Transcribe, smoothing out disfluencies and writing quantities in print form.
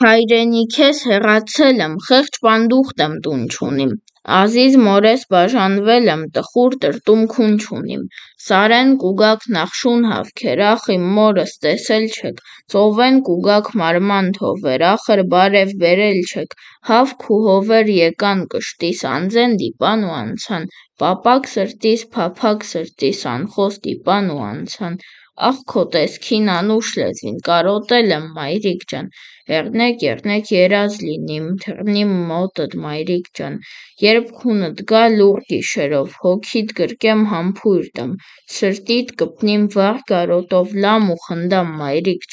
Հայրենիք ես հեռացել եմ, խեղճ պանդուխտ եմ տուն չունիմ, ազիզ մորես բաժանվել եմ, տխուր տրտում-քուն չունիմ, սարեն կուգաք նախշուն հավքեր, ախ իմ մորս տեսել չեք, ծովեն կուգաք մարման թովեր, ախր բարև բերել չեք, հավք ու հովեր եկան կշտիս, անձեն դիպան ու անցան, պապակ սրտիս, փափագ սրտիս, անխոս դիպան ու անցան, ախ քո տեսքին անուշ լեզվին, կարոտել եմ մայրիկ ջան, եղնեք երազ լինիմ, թռնիմ մոտդ մայրիկ ջան, երբ քունդ գա լուռ գիշերով, հոգիդ գրկեմ համբույր տամ, սրտիդ կպնիմ վառ կարոտով, լամ ու խնդամ մայրիկ